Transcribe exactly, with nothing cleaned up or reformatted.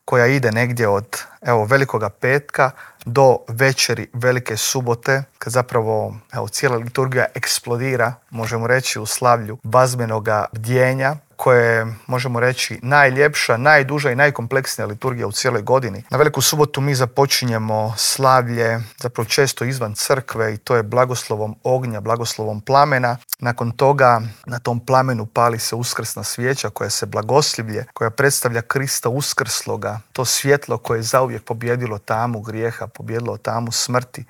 koja ide negdje od evo, Velikoga petka do večeri Velike subote, kad zapravo evo, cijela liturgija eksplodira, možemo reći, u slavlju bazbenoga bdjenja, koje je, možemo reći, najljepša, najduža i najkompleksnija liturgija u cijeloj godini. Na Veliku subotu mi započinjemo slavlje, zapravo često izvan crkve, i to je blagoslovom ognja, blagoslovom plamena. Nakon toga na tom plamenu pali se uskrsna svijeća koja se blagoslivlje, koja predstavlja Krista uskrsloga, to svjetlo koje je zauvijek pobjedilo tamu grijeha, pobjedilo tamu smrti.